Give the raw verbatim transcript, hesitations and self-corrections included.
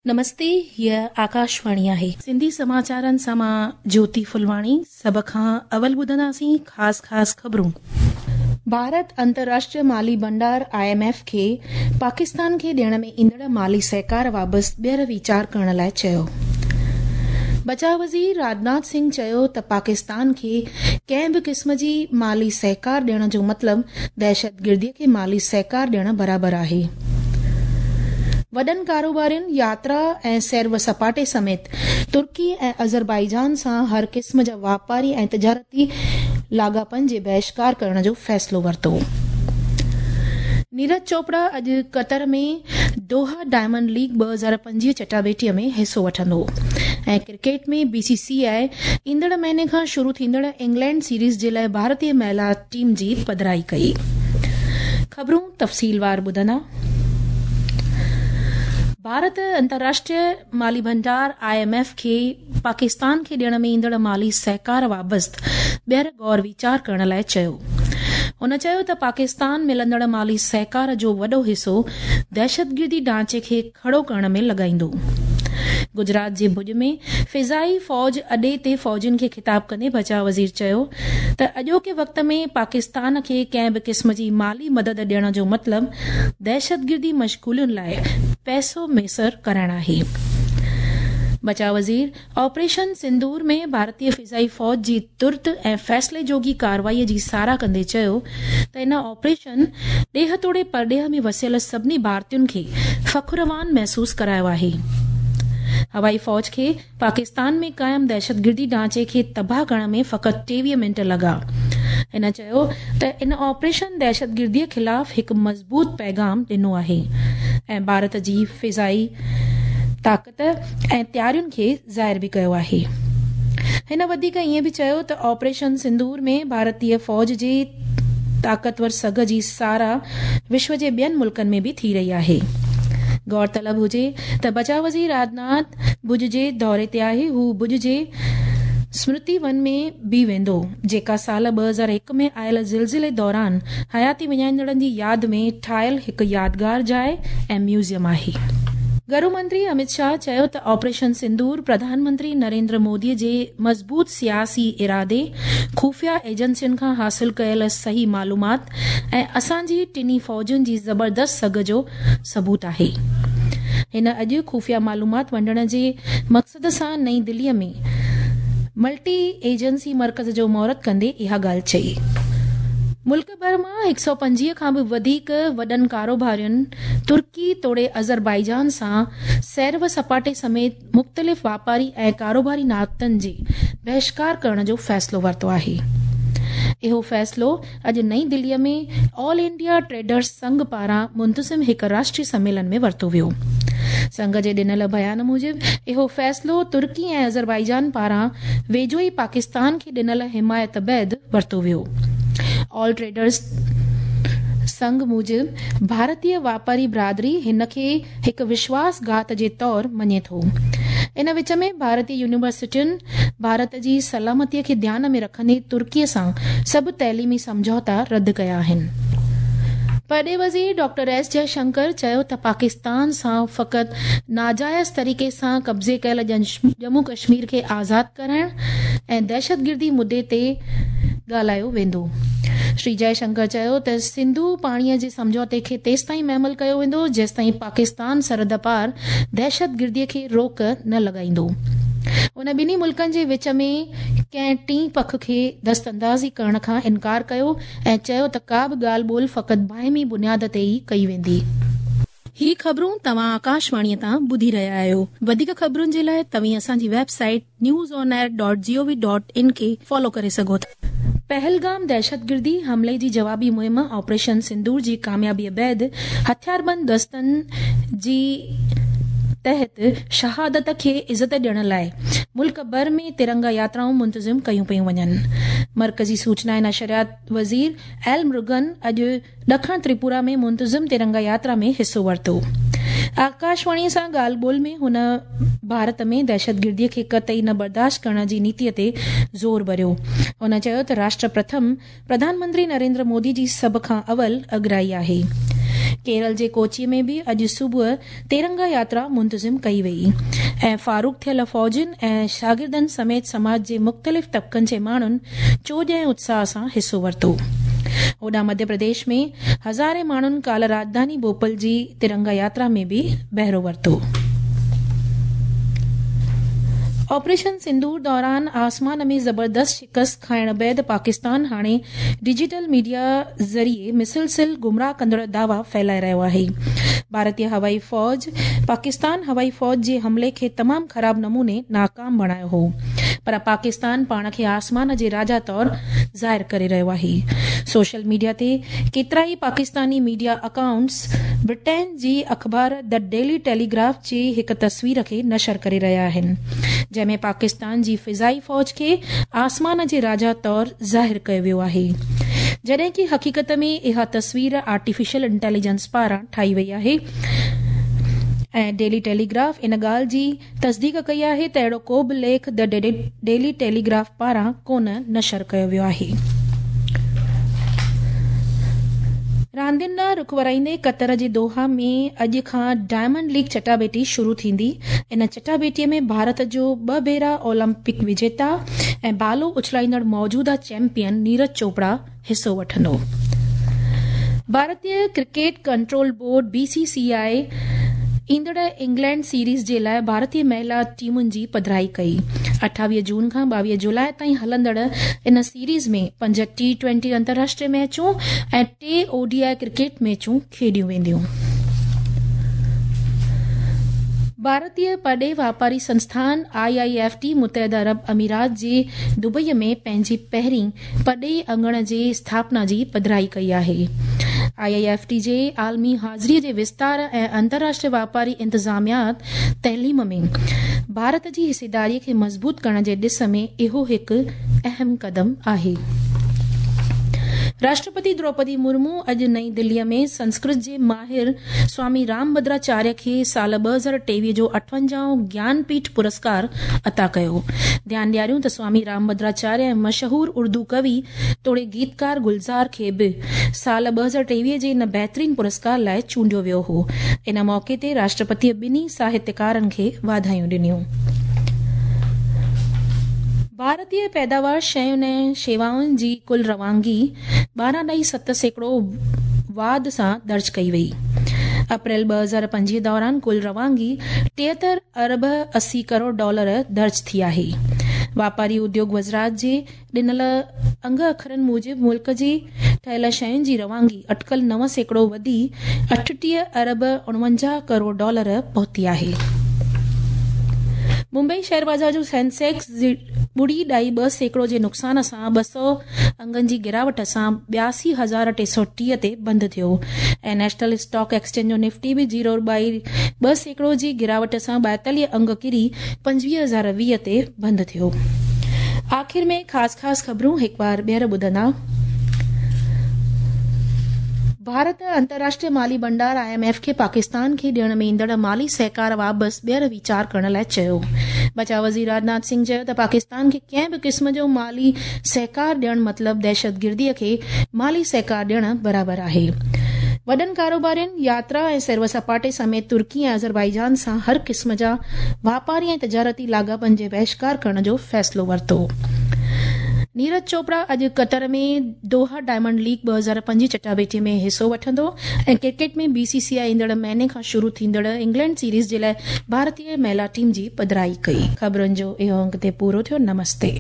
نمستي، هيء آڪاشواڻي آهي. سنڌي سماچارن سان مان جيوتي ڦلواڻي. سڀ کان اول ٻڌنداسين خاص خاص خبرون. ڀارت انترراشٽريه مالي ڀنڊار I M F کي پاڪستان کي ڏيڻ ۾ ايندڙ مالي سهڪار بابت ٻيهر ويچار ڪرڻ لاءِ چيو. بچاءُ وزير راجناٿ سنگهه چيو ته پاڪستان کي ڪنهن به قسم جي مالي سهڪار ڏيڻ جو مطلب دهشتگرديءَ کي مالي سهڪار ڏيڻ برابر آهي. وڏن ڪاروبارين ياترا ۽ سير و سپاٽي سميت ترڪي ۽ آذربائيجان سان هر قسم جا واپاري ۽ تجارتي لاڳاپن جي بهشڪار ڪرڻ جو فيصلو ورتو. نيرج چوپڙا اڄ قطر ۾ دوها ڊائمنڊ ليگ ٻه هزار پنجويهه چٽاڀيٽيءَ ۾ حصو وٺندو. ۽ Cricket ۾ B C C I ايندڙ مهيني کان شروع ٿيندڙ انگلينڊ سيريز جي لاءِ ڀارتيه مهلا ٽيم جي پڌرائي ڪئي. خبرون تفصيلوار ٻڌندا. ڀارت انترراشٽريه مالي ڀنڊار I M F کي پاڪستان کي ڏيڻ ۾ ايندڙ مالي سهڪار بابت ٻيهر غور ويچار ڪرڻ لاءِ چيو. هن چيو ته پاڪستان ملندڙ مالي سهڪار جو وڏو حصو دهشتگردي ڍانچي کي کڙو ڪرڻ ۾ لڳائيندو. گجرات جي ڀڄ ۾ فضائي فوج اڏي تي فوجين کي خطاب ڪندي بچاءُ وزير چيو ته اڄوڪي وقت ۾ پاڪستان کي ڪنهن به قسم جي مالي مدد ڏيڻ جو مطلب دهشتگردي مشغولين لاءِ پئسو ميسر ڪرائڻ آهي. بچاءُ وزير آپريشن سندور ۾ ڀارتيه فضائي فوج جي ترت ۽ فيصلي جوڳي ڪارروائيءَ جي ساراهه ڪندي چيو ته ان آپريشن ڏيهه توڙي پرڏيهه ۾ وسيل سڀني ڀارتين کي فخروان محسوس ڪرايو آهي. هوائي فوج کي پاڪستان ۾ قائم دهشتگردي ڍانچي کي تباهه ڪرڻ ۾ فقط ٽيويهه منٽ لڳا. هن چيو ته ان آپريشن دهشتگرديءَ خلاف هڪ مضبوط پيغام ڏنو آهي ۽ ڀارت جي فضائي طاقت ۽ تيارين کي ظاهر به ڪيو آهي. هن وڌيڪ ائين به چيو ته آپريشن سندور ۾ ڀارتيه فوج جي طاقتور سگهه جي ساراهه وشو جي ٻين ملڪن ۾ به ٿي رهي آهي. غور طلب هجي ته بچاءُ وزير راجناٿ ڀڄ جي دوري تي آهي. هو ڀڄ جي سمرتي ون ۾ به ويندو، جيڪا سال ٻه هزار هڪ ۾ آيل زلزلي دوران حياتي وڃائيندڙن جي ياد ۾ ٺاهيل هڪ يادگار جاءِ ۽ ميوزيم آهي. گهرو منتري امت شاهه چيو ته آپريشن سندور پرڌان منتري نريندر موديءَ جي مضبوط سياسي ارادي، خفيه ايجنسين کان حاصل ڪيل صحيح معلومات ۽ اسان جي ٽنهي فوجن جي زبردست سگهه جو ثبوت آهي. هن اڄ خفيه معلومات ونڊڻ جي مقصد سان نئين دليءَ ۾ ملٽي ايجنسي مرڪز جو مهورت ڪندي اها ڳالهه چئي. ملڪ ڀر مان هڪ سؤ پنجويهه کان به وڌيڪ وڏن ڪاروبارين ترڪي توڙي آذربائيجان سان سير و سپاٽي سميت مختلف واپاري ۽ ڪاروباري ناتن جي بهشڪار ڪرڻ جو فيصلو ورتو آهي. اهو فيصلو اڄ نئين دليءَ ۾ آل انڊيا ٽريڊرز سنگهه پاران منتظم هڪ راشٽريه سميلن ۾ ورتو ويو. سنگهه جي ڏنل بيان موجب اهو فيصلو ترڪي ۽ آذربائيجان پاران ويجهو ئي پاڪستان کي ڏنل حمايت بعد ورتو ويو. آل ٽريڊرز سنگهه موجب ڀارتيه واپاري برادري هن کي هڪ وشواس گهات جي طور مڃي ٿو. ان وچ ۾ ڀارتيه يونيورسٽين ڀارت جي سلامتيءَ کي ڌيان ۾ رکندي ترڪيءَ سان سڀ تعليمي سمجهوتا رد ڪيا آهن. پرڏيهه وزير ڊاڪٽر ايس جئشنڪر چيو ته پاڪستان سان فقط ناجائز طريقي سان قبضي ڪيل ڄمون ڪشمير کي آزاد ڪرائڻ ۽ دهشتگردي مدعي تي ڳالهايو ويندو. شري جئشنڪر چيو ته سنڌو پاڻيءَ جي سمجهوتي کي تيستائين مهمل ڪيو ويندو جيستائين پاڪستان سرحد پار دهشتگرديءَ کي روڪ نه لڳائيندو. هن ٻنهي ملڪن جي وچ ۾ ڪنهن ٽئين پک کي دست اندازي ڪرڻ کان انڪار ڪيو ۽ چيو ته ڪا به ڳالهه ٻولهه فقط باهمي بنياد تي ئي ڪئي ويندي. هي خبرون توهان آڪاشواڻيءَ تان ٻڌي رهيا آهيو. وڌيڪ خبرن جي لاءِ توهين اسان جي website news on air dot G O V dot in کي فالو ڪري سگهو ٿا. پهلگام دهشتگردي حملي جي جوابي مهم آپريشن سندور جي ڪاميابيءَ بعد هٿياربند دستن جي تحت شهادت کي عزت ڏيڻ لاءِ ملڪ ڀر ۾ ترنگا ياترائون منتظم ڪيون پيون وڃن. مرڪزي سوچنا ۽ نشريات وزير ايل مرگن اڄ ڏکڻ تريپورا ۾ منتظم ترنگا ياترا ۾ حصو ورتو. آڪاشواڻيءَ سان ڳالهه ٻولهه ۾ هن ڀارت ۾ دهشتگرديءَ کي قطعي نه برداشت ڪرڻ جي نيتيءَ تي زور ڀريو. هن چيو ته راشٽر پرٿم پرڌان منتري نريندر مودي جي سڀ کان اول اڳرائي آهي. ڪيرل جي ڪوچي ۾ به اڄ صبح ترنگا ياترا منتظم ڪئي وئي ۽ فاروق ٿيل فوجين ۽ شاگردن سميت سماج جي مختلف طبقن جي ماڻهن چوڄ ۽ اتساهه سان حصو ورتو. هوڏانهن مڌيه پرديش ۾ هزارين ماڻهن ڪالهه راڄڌاني ڀوپال جي ترنگا ياترا ۾ به بهرو ورتو. آپريشن سندور دوران آسمان ۾ زبردست شڪست کائڻ بعد پاڪستان هاڻي ڊجيٽل ميڊيا ذريعي مسلسل گمراهه ڪندڙ دعويٰ ڦهلائي رهيو آهي. ڀارتي هوائي فوج پاڪستان هوائي فوج جي حملي کي تمام خراب نموني ناڪام بڻايو هو، پر پاڪستان پاڻ کي آسمان جي راجا طور ظاهر ڪري رهيو آهي. سوشل ميڊيا تي ڪيترائي پاڪستاني ميڊيا اڪائونٽس برٽين جي اخبار the daily Telegraph جي هڪ تصوير کي نشر ڪري رهيا آهن، جنهن ۾ پاڪستان جي فضائي فوج کي آسمان جي راجا طور ظاهر ڪيو ويو آهي، جڏهن ڪه حقيقت ۾ اها تصوير آرٽيفيشل انٽيليجنس پاران ٺاهي وئي آهي ۽ ڊيلي ٽيليگراف ان ڳالهه جي تصديق ڪئي آهي ته اهڙو ڪو به ليک the daily Telegraph پاران ڪونه نشر ڪيو ويو آهي. راندين ڏانهن رخ ورائيندي قطر جي دوحا ۾ اڄ کان ڊائمنڊ ليگ چٽاڀيٽي شروع ٿيندي. ان چٽاڀيٽي ۾ ڀارت جو ٻه ڀيرا اولمپڪ وجيتا ۽ بالو اڇلائيندڙ موجوده چيمپيئن نيرج چوپڙا حصو وٺندو. ڀارتي cricket control board B C C I ايندڙ انگلينڊ سيريز جي لاءِ ڀارتي مهلا ٽيمن جي پڌرائي ڪئي. اٺاويهه جون کان ٻاويهه جولاءِ تائين هلندڙ ان سيريز ۾ پنج ٽي ٽوئنٽي انترراشٽريه ميچون ۽ ٽي او ڊي I cricket ميچون کيڏيون وينديون. ڀارتي پرڏيهي واپاري سنسٿان I I F T متحده عرب امارات جي دبئي ۾ پنهنجي پهرين پرڏيهي اڱڻ جي اسٿاپنا جي پڌرائي ڪئي آهي. I I F T جي عالمي حاضري جي وستار ۽ انترراشٽريه واپاري انتظاميات تعليم ۾ ڀارت جي حصيداري کي مضبوط ڪرڻ جي ڏس ۾ اهو هڪ اهم قدم آهي. راشٽرپتي دروپدي مرمو اڄ نئين دلي ۾ سنسڪرت جي ماهر سوامي رام ڀدراچاريه کي سال ٻه هزار ٽيويهه جو اٺونجاهون گيانپيٺ پرسڪار عطا ڪيو. ڌيان ڏياريون ته سوامي رام ڀدراچاريه ۽ مشهور اردو ڪوي توڙي گيتڪار گلزار کي به سال ٻه هزار ٽيويهه جي ان بهترين پرسڪار لاءِ چونڊيو ويو هو. ان موقعي تي راشٽرپتي ٻنهي ساهتيڪارن کي واڌايون ڏنيون. ڀارتي پيداوار شين ۽ شيوائن جي ڪل روانگي ٻارهن ڏهائي ست سيڪڙو واڌ سان درج ڪئي وئي. اپريل ٻه هزار پنجويهه دوران ڪل روانگي ٽيهتر ارب اسي ڪروڙ ڊالر درج ٿي آهي. واپاري اديوگ وزارت جي ڏنل انگ اکرن موجب ملڪ جي ٺهيل شين جي روانگي اٽڪل نو سيڪڙو وڌي اٺٽيهه ارب اڻونجاهه ڪروڙ ڊالر پهتي آهي. ممبئي شيئر بازار جو سينسيڪس ٻڙي ڏهائي ٻه سيڪڙو جي نقصان سان ٻه سؤ انگن جي گراوٽ سان ٻياسي هزار ٽي سؤ ٽيهه تي بند ٿيو ۽ نيشنل اسٽاڪ ايڪسچينج جو نفٽي به زيرو ٻائي ٻه سيڪڙو جي گراوٽ سان ٻائيتاليهه انگ ڪري پنجويهه هزار ويهه تي بند ٿيو. آخر ۾ خاص خاص خبرون هڪ بار ٻيهر ٻڌندا. ڀارت انترراشٽريه مالي ڀنڊار I M F کي پاڪستان کي ڏيڻ ۾ ايندڙ مالي سهڪار واپس ٻيهر ويچار ڪرڻ لاءِ چيو. بچاء وزير راجناٿ سنگهه چيو ته پاڪستان کي ڪنهن به قسم جو مالي سهڪار ڏيڻ مطلب دهشتگردي کي مالي سهڪار ڏيڻ برابر آهي. وڏن ڪاروبارين ياترا ۽ سير سپاٽي سميت ترڪي ۽ آذربائيجان سان هر قسم جا واپاري ۽ تجارتي لاڳاپن جي بهشڪار ڪرڻ جو فيصلو ورتو. نيرج چوپڙا اڄ قطر ۾ دوها ڊائمنڊ ليگ ٻه هزار پنجويهه چٽاڀيٽي ۾ حصو وٺندو ۽ cricket ۾ B C C I ايندڙ مهيني کان شروع ٿيندڙ انگلينڊ سيريز جي لاءِ ڀارتي مهلا ٽيم جي پڌرائي ڪئي. خبرن جو اهو انگ تي پورو ٿيو. نمستي.